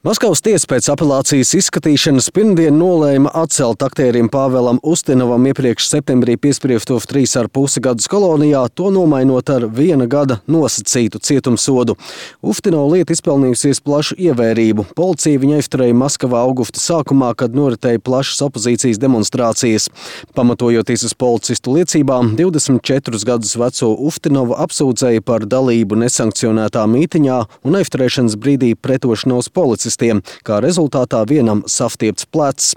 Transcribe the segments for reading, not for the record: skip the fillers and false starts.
Maskavas tiesa pēc apelācijas izskatīšanas pirmdien nolēma atcelt aktierim Pāvēlam Ustinovam iepriekš septembrī piespriesto 3,5 gadus kolonijā, to nomainot ar 1 gada nosacītu cietumsodu. Uftinova lieta izpelnījusies plašu ievērību. Policija viņu aizturēja Maskavā augusta sākumā, kad noritēja plašas opozīcijas demonstrācijas. Pamatojoties uz policistu liecībām, 24 gadus veco Uftinovu apsūdzēja par dalību nesankcionētā mītiņā un aizturēšanas brīdī pretošanos policistiem, kā rezultātā vienam sastiepts plecs.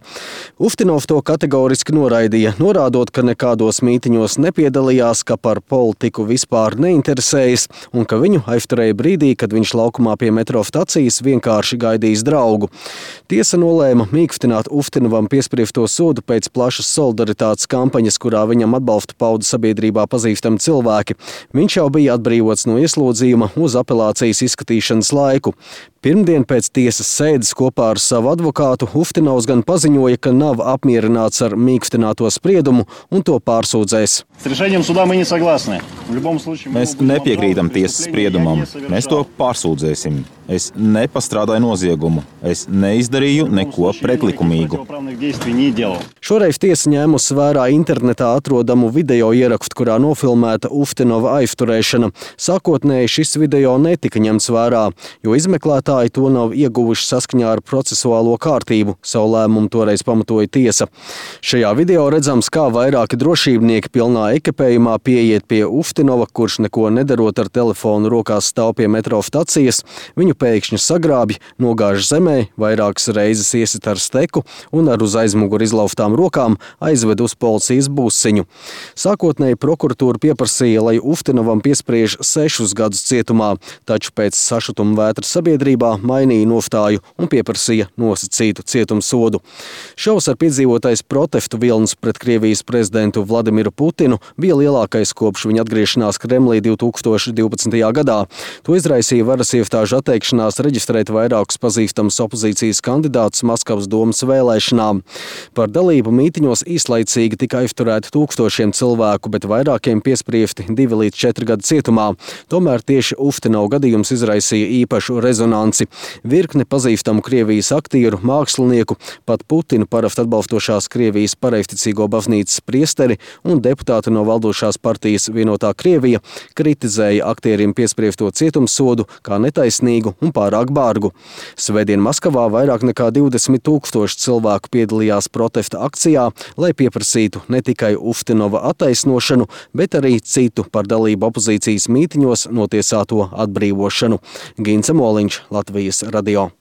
Uftinovs to kategoriski noraidīja, norādot, ka nekādos mītiņos nepiedalījās, ka par politiku vispār neinteresējas un ka viņu aizturēja brīdī, kad viņš laukumā pie metro stacijas vienkārši gaidījis draugu. Tiesa nolēma mīkstināt Uftinovam piespriesto sodu pēc plašas solidaritātes kampaņas, kurā viņam atbalstu pauda sabiedrībā pazīstami cilvēki. Viņš jau bija atbrīvots no ieslodzījuma uz apelācijas izskatīšanas laiku. Pirmdien pēc tiesas sēdes kopā ar savu advokātu Uftinovs gan paziņoja, ka nav apmierināts ar mīkstināto spriedumu un to pārsūdzēs. Mēs nepiekrītam tiesas spriedumam. Mēs to pārsūdzēsim. Es nepastrādāju noziegumu. Es neizdarīju neko pretlikumīgu. Šoreiz tiesa ņēmusi vērā internetā atrodamu video ierakstu, kurā nofilmēta Uftinova aizturēšana. Sākotnēji šis video netika ņemts vērā, jo izmeklētāji to nav ieguvuši saskaņā ar procesuālo kārtību. Savu lēmumu toreiz pamatoja tiesa. Šajā video redzams, kā vairāki drošībnieki pilnā ekipējumā pieiet pie Uftinova, kurš neko nedarot ar telefonu rokās stāv pie metro stacijas. Viņu pēkšņi sagrābj, nogāž zemē, vairākas reizes iesit ar steku un ar uz aizmuguri izlauftām rokām aizved uz policijas būsiņu. Sākotnēji prokuratūra pieprasīja, lai Uftinovam piespriež 6 gadus cietumā, taču pēc sašutuma vētras sabiedrībā mainīja nostāju un pieprasīja nosacītu cietumsodu. Šovs ar piedzīvotais protestu vilnis pret Krievijas prezidentu Vladimiru Putinu bija lielākais kopš viņa atgriešanās Kremlī 2012. gadā. To izraisīja varas iestāžu atteikšanās reģistrēt vairākus pazīstamus opozīcijas kandidātus Maskavas domas vēlēšanām. Par dalību mītiņos īslaicīgi tika aizturēti tūkstošiem cilvēku, bet vairākiem piespriesti 2 līdz 4 gadi cietumā. Tomēr tieši Uftinova gadījums izraisīja īpašu rezonanci. Virkne pazīstamu Krievijas aktieru, mākslinieku, pat Putinu parasti atbalstošās Krievijas pareizticīgo baznīcas priesteri un deputāti no valdošās partijas Vienotā Krievija kritizēja aktierim piespriesto cietumsodu kā netaisnīgu un pārāk bargu. Svētdien Maskavā vairāk nekā 20 000 cilvēku piedalījās protesta akcijā, lai pieprasītu ne tikai Uftinova attaisnošanu, bet arī citu par dalību opozīcijas mītiņos notiesāto atbrīvošanu. Gints Moliņš, Latvijas radio.